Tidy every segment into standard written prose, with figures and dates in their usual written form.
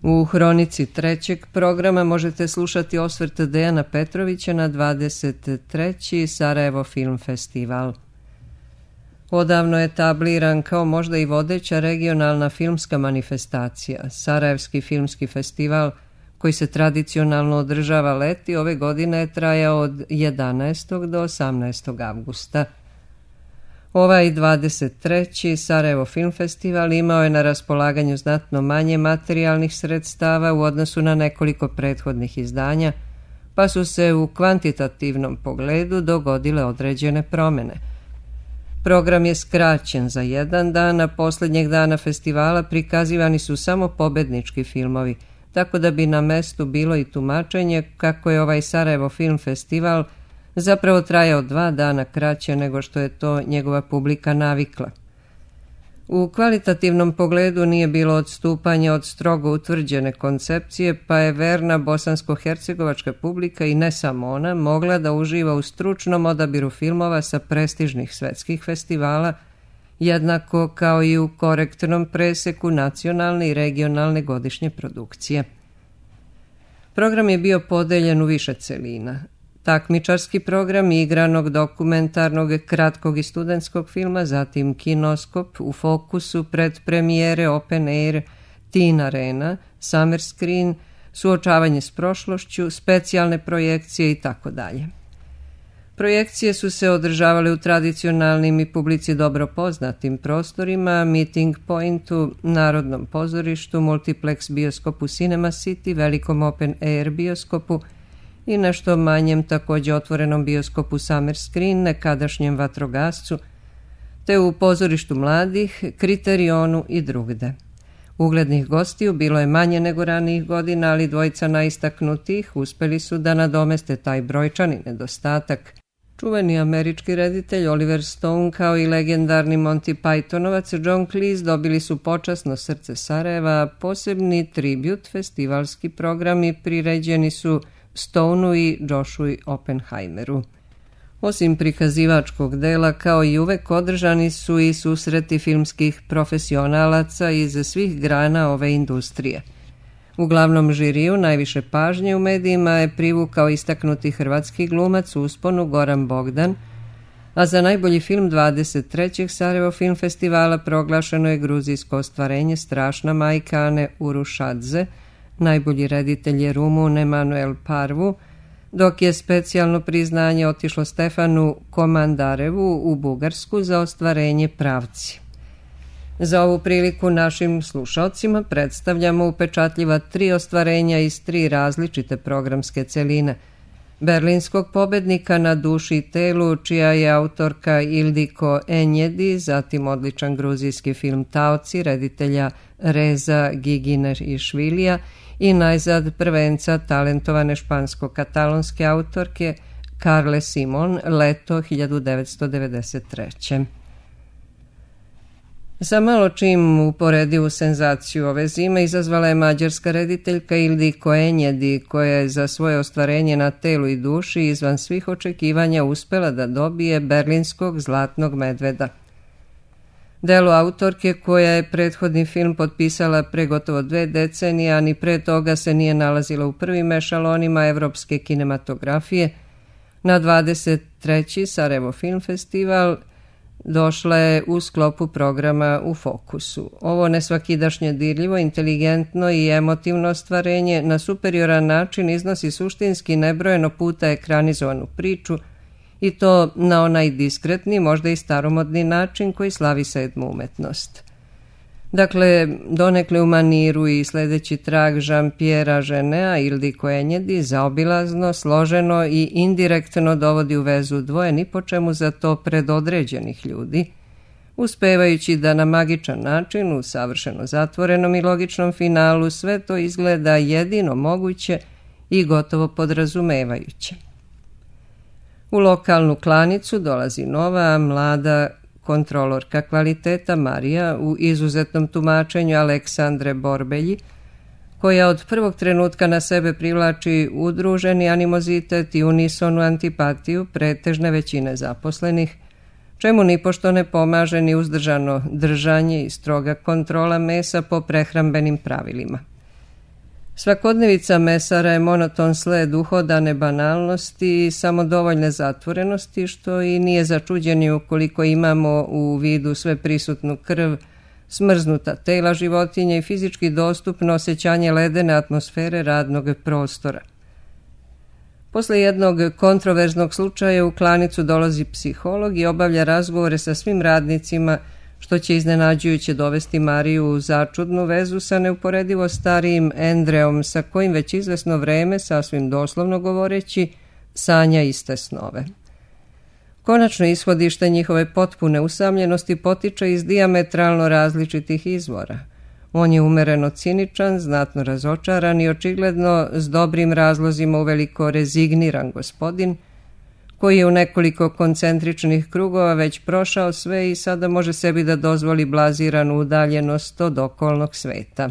U hronici trećeg programa možete slušati osvrt Dejana Petrovića na 23. Sarajevo Film Festival. Odavno je etabliran kao možda i vodeća regionalna filmska manifestacija. Sarajevski filmski festival, koji se tradicionalno održava leti, ove godine je trajao od 11. do 18. avgusta. Ovaj 23. Sarajevo Film Festival imao je na raspolaganju znatno manje materijalnih sredstava u odnosu na nekoliko prethodnih izdanja, pa su se u kvantitativnom pogledu dogodile određene promjene. Program je skraćen za jedan dan, a posljednjeg dana festivala prikazivani su samo pobednički filmovi, tako da bi na mestu bilo i tumačenje kako je ovaj Sarajevo Film Festival zapravo trajao 2 dana kraće nego što je to njegova publika navikla. U kvalitativnom pogledu nije bilo odstupanja od strogo utvrđene koncepcije, pa je verna bosansko-hercegovačka publika i ne samo ona mogla da uživa u stručnom odabiru filmova sa prestižnih svetskih festivala, jednako kao i u korektnom preseku nacionalne i regionalne godišnje produkcije. Program je bio podeljen u više celina. Takmičarski program igranog, dokumentarnog, kratkog i studentskog filma, zatim kinoskop, u fokusu, predpremijere, open air, teen arena, summer screen, suočavanje s prošlošću, specijalne projekcije itd. Projekcije su se održavale u tradicionalnim i publici dobro poznatim prostorima, Meeting Pointu, Narodnom pozorištu, Multiplex bioskopu Cinema City, velikom open air bioskopu i nešto manjem također otvorenom bioskopu Summer Screen, nekadašnjem Vatrogascu, te u pozorištu mladih, Kriterionu i drugde. Uglednih gostiju bilo je manje nego ranijih godina, ali dvojica najistaknutijih uspeli su da nadomeste taj brojčani nedostatak. Čuveni američki reditelj Oliver Stone kao i legendarni Monty Pythonovac John Cleese dobili su počasno srce Sarajeva, a posebni tribut festivalski programi priređeni su Stoneu i Joshua Oppenheimeru. Osim prikazivačkog dela, kao i uvek, održani su i susreti filmskih profesionalaca iz svih grana ove industrije. U glavnom žiriju najviše pažnje u medijima je privukao istaknuti hrvatski glumac u usponu Goran Bogdan, a za najbolji film 23. Sarajevo Film Festivala proglašeno je gruzijsko ostvarenje Strašna majka Ane Urušadze, najbolji reditelj je Rumun Emanuel Parvu, dok je specijalno priznanje otišlo Stefanu Komandarevu u Bugarsku za ostvarenje Pravci. Za ovu priliku našim slušalcima predstavljamo upečatljiva 3 ostvarenja iz 3 različite programske celine. Berlinskog pobednika Na duši i telu, čija je autorka Ildiko Enjedi, zatim odličan gruzijski film Taoci, reditelja Reza Giginešvilija i najzad prvenca talentovane špansko-katalonske autorke Carle Simon, Leto 1993. Sa malo čim uporedivu senzaciju ove zime izazvala je mađarska rediteljka Ildiko Enjedi, koja je za svoje ostvarenje Na telu i duši izvan svih očekivanja uspela da dobije berlinskog zlatnog medveda. Delo autorke, koja je prethodni film potpisala pre gotovo 2 decenije, a ni pre toga se nije nalazila u prvim ešalonima evropske kinematografije, na 23. Sarajevo Film Festival došla je u sklopu programa U fokusu. Ovo nesvakidašnje dirljivo, inteligentno i emotivno ostvarenje na superioran način iznosi suštinski nebrojeno puta ekranizovanu priču, i to na onaj diskretni, možda i staromodni način koji slavi 7. umetnost. Dakle, donekle u maniru i sledeći trag Jean-Pierre Genea, Ildiko Enjedi zaobilazno, složeno i indirektno dovodi u vezu dvoje ni po čemu za to predodređenih ljudi, uspevajući da na magičan način, u savršeno zatvorenom i logičnom finalu, sve to izgleda jedino moguće i gotovo podrazumevajuće. U lokalnu klanicu dolazi nova, mlada kontrolorka kvaliteta Marija u izuzetnom tumačenju Aleksandre Borbelji, koja od prvog trenutka na sebe privlači udruženi animozitet i unisonu antipatiju pretežne većine zaposlenih, čemu nipošto ne pomaže ni uzdržano držanje i stroga kontrola mesa po prehrambenim pravilima. Svakodnevica mesara je monoton sled uhodane banalnosti i samodovoljne zatvorenosti, što i nije začuđeni ukoliko imamo u vidu sve prisutnu krv, smrznuta tela životinja i fizički dostupno osjećanje ledene atmosfere radnog prostora. Posle jednog kontroverznog slučaja u klanicu dolazi psiholog i obavlja razgovore sa svim radnicima, što će iznenađujuće dovesti Mariju u začudnu vezu sa neuporedivo starijim Andreom, sa kojim već izvesno vreme, sasvim doslovno govoreći, sanja iste snove. Konačno ishodište njihove potpune usamljenosti potiče iz dijametralno različitih izvora. On je umereno ciničan, znatno razočaran i očigledno s dobrim razlozima uveliko rezigniran gospodin, koji je u nekoliko koncentričnih krugova već prošao sve i sada može sebi da dozvoli blaziranu udaljenost od okolnog sveta.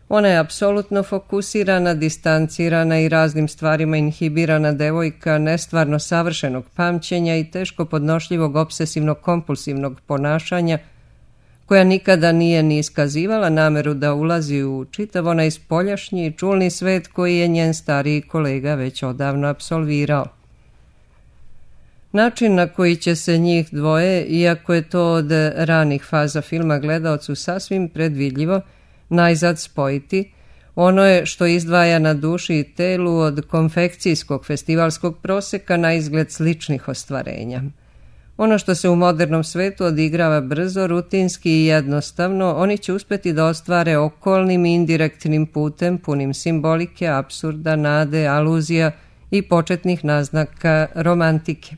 Ona je apsolutno fokusirana, distancirana i raznim stvarima inhibirana devojka nestvarno savršenog pamćenja i teško podnošljivog obsesivno-kompulsivnog ponašanja, koja nikada nije ni iskazivala nameru da ulazi u čitav onaj spoljašnji i čulni svet koji je njen stariji kolega već odavno apsolvirao. Način na koji će se njih dvoje, iako je to od ranih faza filma gledaocu sasvim predvidljivo, najzad spojiti, ono je što izdvaja na duši i telu od konfekcijskog festivalskog proseka na izgled sličnih ostvarenja. Ono što se u modernom svetu odigrava brzo, rutinski i jednostavno, oni će uspjeti da ostvare okolnim i indirektnim putem, punim simbolike, apsurda, nade, aluzija i početnih naznaka romantike.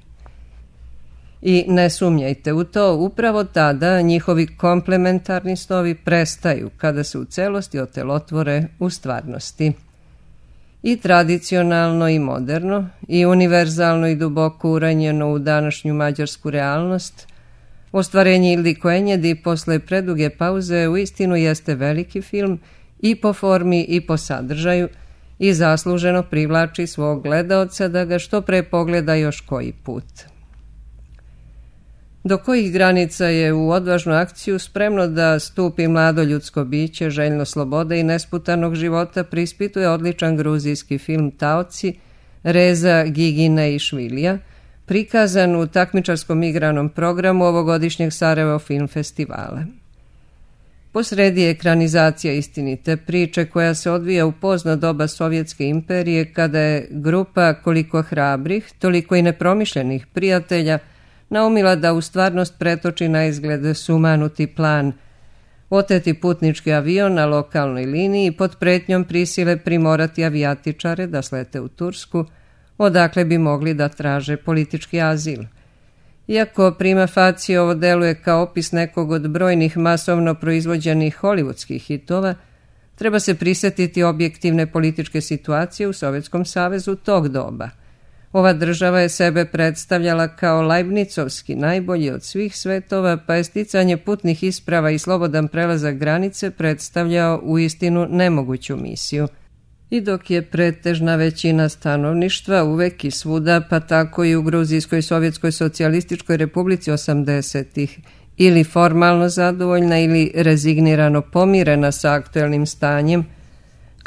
I ne sumnjajte u to, upravo tada njihovi komplementarni snovi prestaju kada se u celosti otelotvore u stvarnosti. I tradicionalno i moderno, i univerzalno i duboko uranjeno u današnju mađarsku realnost, ostvarenje Ildiko Enjedi posle preduge pauze uistinu jeste veliki film i po formi i po sadržaju i zasluženo privlači svog gledaoca da ga što pre pogleda još koji put. Do kojih granica je u odvažnu akciju spremno da stupi mlado ljudsko biće, željno slobode i nesputanog života, prispituje odličan gruzijski film Taoci, Reza Gigine i Švilija, prikazan u takmičarskom igranom programu ovogodišnjeg Sarajevo Film Festivala. Posredi je ekranizacija istinite priče koja se odvija u pozno doba Sovjetske imperije, kada je grupa koliko hrabrih, toliko i nepromišljenih prijatelja naumila da u stvarnost pretoči na izgled sumanuti plan, oteti putnički avion na lokalnoj liniji pod pretnjom prisile primorati avijatičare da slete u Tursku, odakle bi mogli da traže politički azil. Iako prima facie ovo deluje kao opis nekog od brojnih masovno proizvođenih hollywoodskih hitova, treba se prisjetiti objektivne političke situacije u Sovjetskom savezu tog doba. Ova država je sebe predstavljala kao Leibnicovski najbolji od svih svetova, pa je sticanje putnih isprava i slobodan prelazak granice predstavljao uistinu nemoguću misiju. I dok je pretežna većina stanovništva uvek i svuda, pa tako i u Gruzijskoj Sovjetskoj socijalističkoj republici 80-ih, ili formalno zadovoljna ili rezignirano pomirena sa aktuelnim stanjem,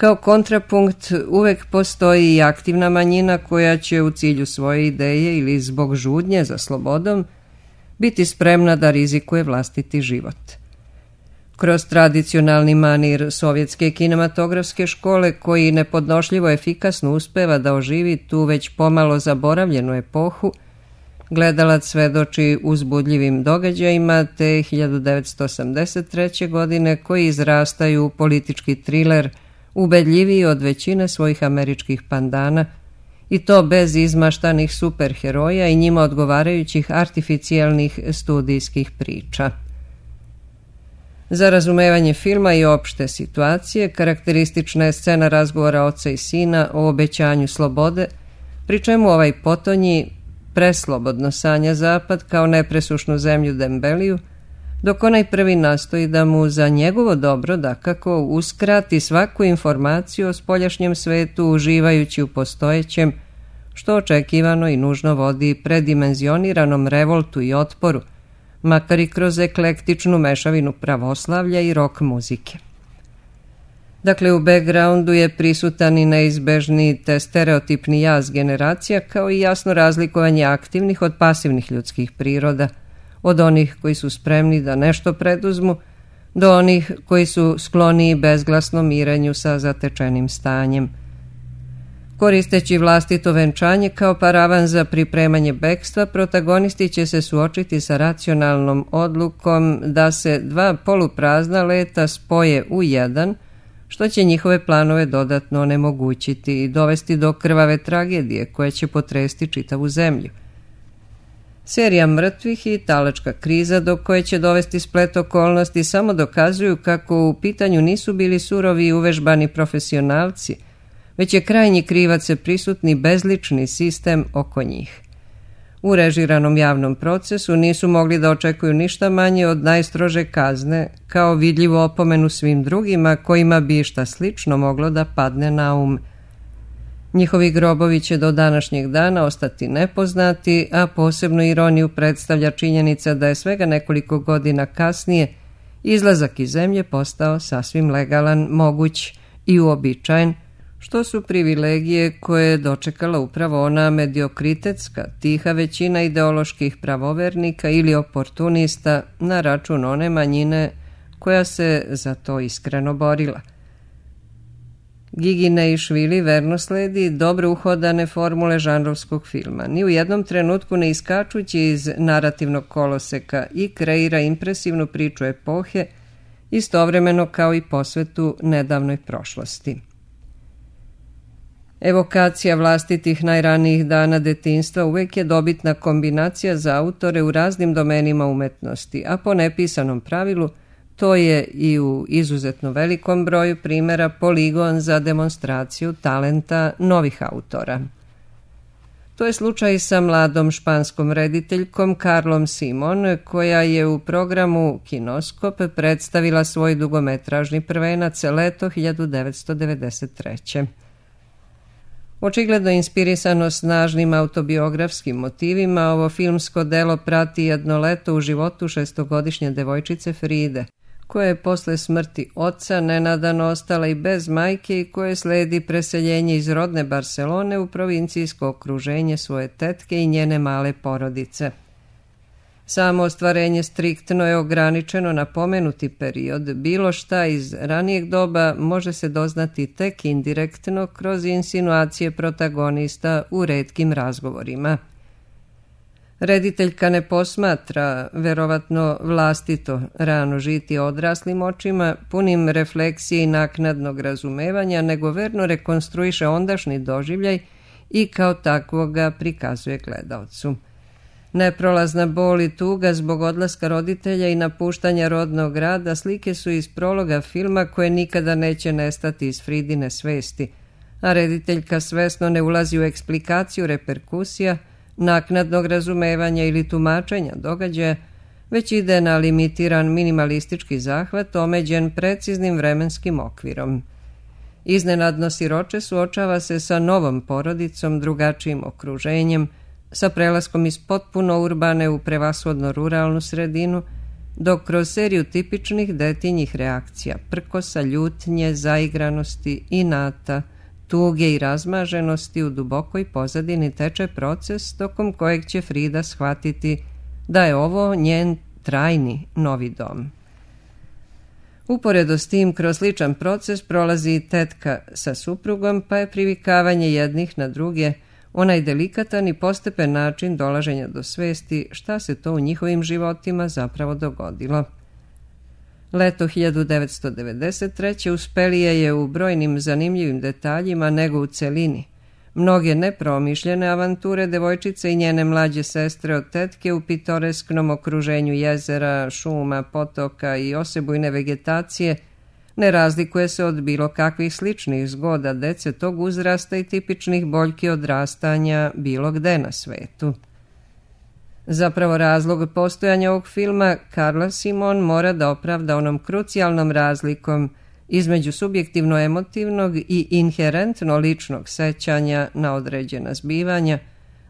kao kontrapunkt uvek postoji i aktivna manjina koja će u cilju svoje ideje ili zbog žudnje za slobodom biti spremna da rizikuje vlastiti život. Kroz tradicionalni manir sovjetske kinematografske škole, koji nepodnošljivo efikasno uspeva da oživi tu već pomalo zaboravljenu epohu, gledalac svedoči uzbudljivim događajima te 1983. godine koji izrastaju u politički triler ubedljiviji od većine svojih američkih pandana, i to bez izmaštanih superheroja i njima odgovarajućih artificijelnih studijskih priča. Za razumevanje filma i opšte situacije karakteristična je scena razgovora oca i sina o obećanju slobode, pri čemu ovaj potonji preslobodno sanja zapad kao nepresušnu zemlju Dembeliju, dok onaj prvi nastoji da mu za njegovo dobro dakako uskrati svaku informaciju o spoljašnjem svetu uživajući u postojećem, što očekivano i nužno vodi predimenzioniranom revoltu i otporu, makar i kroz eklektičnu mešavinu pravoslavlja i rock muzike. Dakle, u backgroundu je prisutan i neizbežni te stereotipni jaz generacija, kao i jasno razlikovanje aktivnih od pasivnih ljudskih priroda, od onih koji su spremni da nešto preduzmu, do onih koji su skloniji bezglasnom mirenju sa zatečenim stanjem. Koristeći vlastito venčanje kao paravan za pripremanje bekstva, protagonisti će se suočiti sa racionalnom odlukom da se dva poluprazna leta spoje u jedan, što će njihove planove dodatno onemogućiti i dovesti do krvave tragedije koja će potresti čitavu zemlju. Serija mrtvih i talačka kriza do koje će dovesti splet okolnosti samo dokazuju kako u pitanju nisu bili surovi i uvežbani profesionalci, već je krajnji krivac prisutni bezlični sistem oko njih. U režiranom javnom procesu nisu mogli da očekuju ništa manje od najstrože kazne, kao vidljivu opomenu svim drugima kojima bi šta slično moglo da padne na um. Njihovi grobovi će do današnjeg dana ostati nepoznati, a posebnu ironiju predstavlja činjenica da je svega nekoliko godina kasnije izlazak iz zemlje postao sasvim legalan, moguć i uobičajen, što su privilegije koje je dočekala upravo ona mediokritetska, tiha većina ideoloških pravovernika ili oportunista na račun one manjine koja se za to iskreno borila. Gigi Neišvili verno sledi dobro uhodane formule žanrovskog filma, ni u jednom trenutku ne iskačući iz narativnog koloseka, i kreira impresivnu priču epohe, istovremeno kao i posvetu nedavnoj prošlosti. Evokacija vlastitih najranijih dana detinjstva uvek je dobitna kombinacija za autore u raznim domenima umetnosti, a po nepisanom pravilu to je i u izuzetno velikom broju primjera poligon za demonstraciju talenta novih autora. To je slučaj sa mladom španskom rediteljkom Carlom Simon, koja je u programu Kinoskop predstavila svoj dugometražni prvenac leto 1993. Očigledno inspirisano snažnim autobiografskim motivima, ovo filmsko delo prati jedno leto u životu šestogodišnje devojčice Fride, koja je posle smrti oca nenadano ostala i bez majke i koje sledi preseljenje iz rodne Barcelone u provincijsko okruženje svoje tetke i njene male porodice. Samo ostvarenje striktno je ograničeno na pomenuti period, bilo šta iz ranijeg doba može se doznati tek indirektno kroz insinuacije protagonista u retkim razgovorima. Rediteljka ne posmatra, verovatno vlastito, rano žiti odraslim očima, punim refleksije i naknadnog razumevanja, nego verno rekonstruiše ondašnji doživljaj i kao takvog ga prikazuje gledaocu. Neprolazna bol i tuga zbog odlaska roditelja i napuštanja rodnog grada slike su iz prologa filma koje nikada neće nestati iz Fridine svesti, a rediteljka svesno ne ulazi u eksplikaciju reperkusija, naknadnog razumevanja ili tumačenja događaja, već ide na limitiran minimalistički zahvat omeđen preciznim vremenskim okvirom. Iznenadno siroče suočava se sa novom porodicom, drugačijim okruženjem, sa prelaskom iz potpuno urbane u prevashodno ruralnu sredinu, dok kroz seriju tipičnih detinjih reakcija, prkosa, ljutnje, zaigranosti, inata, tuge i razmaženosti u dubokoj pozadini teče proces tokom kojeg će Frida shvatiti da je ovo njen trajni novi dom. Uporedo s tim, kroz sličan proces prolazi i tetka sa suprugom, pa je privikavanje jednih na druge onaj delikatan i postepen način dolaženja do svesti šta se to u njihovim životima zapravo dogodilo. Leto 1993. uspelije je u brojnim zanimljivim detaljima nego u celini. Mnoge nepromišljene avanture devojčice i njene mlađe sestre od tetke u pitoresknom okruženju jezera, šuma, potoka i osebujne vegetacije ne razlikuje se od bilo kakvih sličnih zgoda dece tog uzrasta i tipičnih boljki odrastanja bilo gde na svetu. Zapravo razlog postojanja ovog filma Carla Simon mora da opravda onom krucijalnom razlikom između subjektivno emotivnog i inherentno ličnog sećanja na određena zbivanja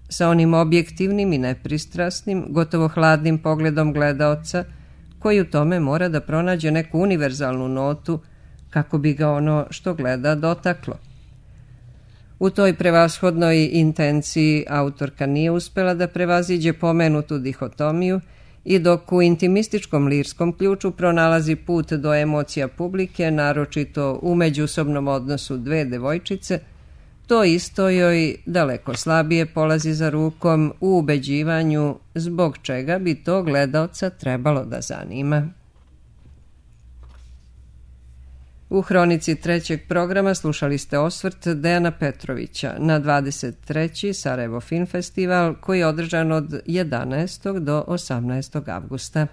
sa onim objektivnim i nepristrasnim, gotovo hladnim pogledom gledaoca koji u tome mora da pronađe neku univerzalnu notu kako bi ga ono što gleda dotaklo. U toj prevashodnoj intenciji autorka nije uspela da prevaziđe pomenutu dihotomiju i dok u intimističkom lirskom ključu pronalazi put do emocija publike, naročito u međusobnom odnosu dve devojčice, to isto joj daleko slabije polazi za rukom u ubeđivanju zbog čega bi to gledaoca trebalo da zanima. U hronici trećeg programa slušali ste osvrt Dejana Petrovića na 23. Sarajevo Film Festival koji je održan od 11. do 18. avgusta.